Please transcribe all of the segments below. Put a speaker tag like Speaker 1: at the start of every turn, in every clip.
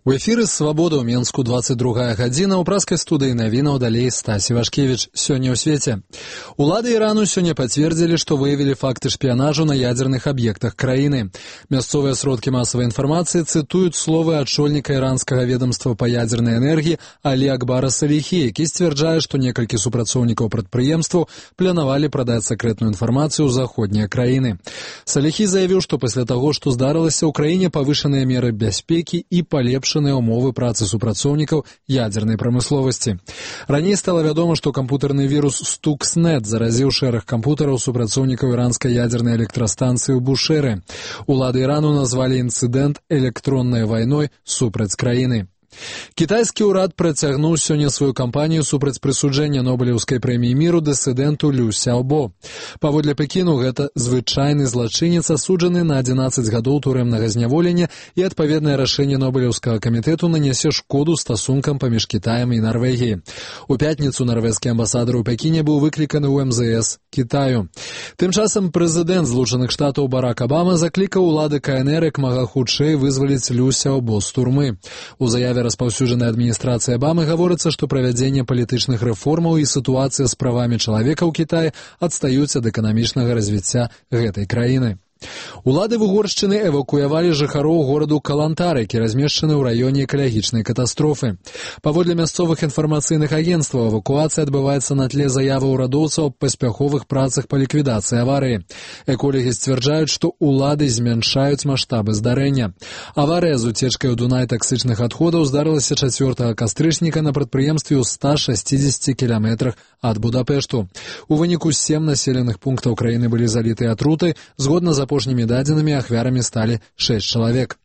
Speaker 1: У эфіры «Свабода» ў Менску 22 гадзіна, ў праскай студыі навінаў далей Стасі Вашкевіч. Сёння ў свеце. Улады Ірану сёння пацвердзілі, што выявілі факты шпіянажу на ядзерных аб'ектах краіны. Мясцовыя сродкі масавай інфармацыі цытуюць словы адшольніка іранскага ведомства па ядзернай энергіі Алі Акбара Саліхі, які сцвярджае, што некалькі супрацоўнікаў прадпрыемстваў планавалі прадаць сакрэтную інфармацыю ў заходнія краіны. Саліхі заявіў, што пасля таго, што здарылася, ў краіне павышаныя меры бяспекі і палепшаныя умовы працы супрацоўнікаў ядзернай прамысловасці. Раней стала вядома, што кампутарны вірус Stuxnet заразіў шэраг кампутараў супрацоўнікаў іранскай ядзернай электрастанцыі ў Бушэры. Улады Ірану назвалі інцыдэнт электроннай вайной супраць краіны. Кітайскі ўрад працягнуў сёння сваю кампанію супраць прысуджэння Нобелеўскай прэміі міру дысідэнту Лю Сяобо. Паводле Пекіну, гэта звычайны злачынец, асуджаны на 11 гадоў турэмнага зняволення, і адпаведнае рашэнне Нобелеўскага камітэту нанясе шкоду стасункам паміж Кітаем і Нарвегіяй. У пятніцу нарвежскі амбасадар у Пекіне быў выкліканы ў МЗС Кітаю. Тым часам прэзідэнт Злучаных Штатаў Барак Абама заклікаў улады КНР як мага хутчэй вызваліць Лю Сяобо з турмы. У заяве распаўсюджанай адміністрацыі Абамы гаворыцца, што правядзенне палітычных рэформаў і сітуацыя з правамі чалавека ў Кітаі адстаюць ад эканамічнага развіцця гэтай краіны. Улады Вугоршчыны эвакуявалі жыхароў гораду Калантар, які размешчаны ў раёне экалагічнай катастрофы. Паводле мясцовых інфармацыйных агенцтваў, эвакуацыя адбываецца на тле заяваў урадоўцаў аб паспяховых працах па ліквідацыі аварыі. Эколагі сцвярджаюць, што улады змяншаюць маштабы здарэння. Аварыя з уцечкай у Дунай таксычных адходаў здарылася 4 кастрычніка на прадпрыемстве ў 160 кіламетрах ад Будапешту. У выніку 7 населеных пунктаў краіны былі залітыя атрутай, згодна з апошнімі дадзенымі ахвярамі сталі 6 чалавек.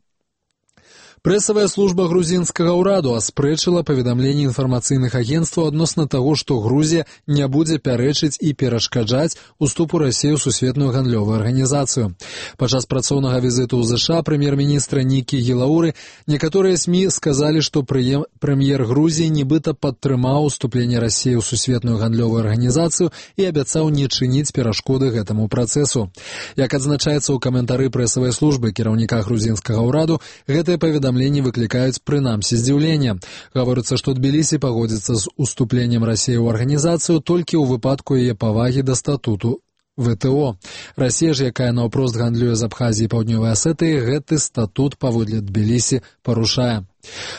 Speaker 1: Прэсавая служба грузінскага ўраду аспрэчыла паведамленні інфармацыйных агенцтваў адносна таго, што Грузія не будзе пярэчыць і перашкаджаць уступу Расіі ў сусветную гандлёвую арганізацыю. Падчас працоўнага візіту ў ЗША прэм'ер-міністра Нікі Гілауры некаторыя СМІ сказалі, што прэм'ер Грузіі нібыта падтрымаў уступленне Расіі ў сусветную гандлёвую арганізацыю і абяцаў не чыніць перашкоды гэтаму працэсу. Як адзначаецца ў каментары прэсавай службы кіраўніка грузінскага ўраду, гэтае паведамленне выклікаюць прынамсі здзіўлення. Гаворыцца, што Тбілісі пагодзіцца з уступленнем Расіі ў арганізацыю толькі ў выпадку яе павагі да статуту ВТО. Расія ж, якая наўпрост гандлюе з Абхазіі і Паўднёвай Асетыі, гэты статут паводле Тбілісі парушае.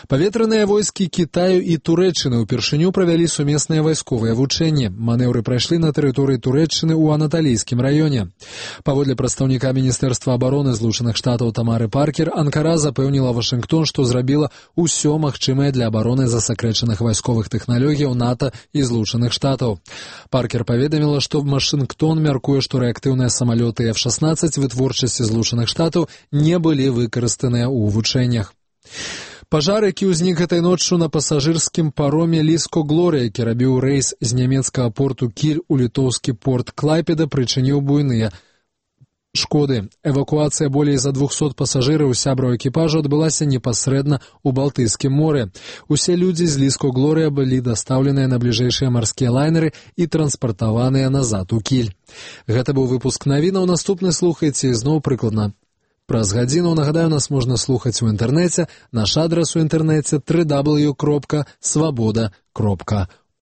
Speaker 1: Паветраныя войскі Кітаю і Турэччыны ўпершыню правялі сумесныя вайсковыя вучэнні. Манеўры прайшлі на тэрыторыі Турэччыны ў Анаталійскім раёне. Паводле прадстаўніка Міністэрства абароны Злучаных Штатаў Тамары Паркер, Анкара запэўніла Вашынгтон, што зрабіла ўсё магчымае для абароны засакрэчаных вайсковых тэхналогіяў НАТО і Злучаных Штатаў. Паркер паведаміла, што Вашынгтон мяркуе, што рэактыўныя самалёты F-16 вытворчасці Злучаных Штатаў не былі выкарыстаныя ў вучэннях. Пажар, які ўзнік гэтай ноччу на пасажырскім пароме Ліско Глорія, які рабіў рэйс з нямецкага порту Кіль у літоўскі порт Клайпеда, прычыніў буйныя шкоды. Эвакуацыя болей за 200 пасажыраў сябраў экіпажу адбылася непасрэдна ў Балтыйскім моры. Усе людзі з Ліско Глорія былі дастаўленыя на бліжэйшыя марскія лайнеры і транспартаваныя назад у Кіль. Гэта быў выпуск навінаў. Наступны слухайце ізноў прыкладна праз гадзіну. Нагадаю, нас можна слухаць у інтэрнэце. Наш адрас у інтэрнэце www.swaboda.org.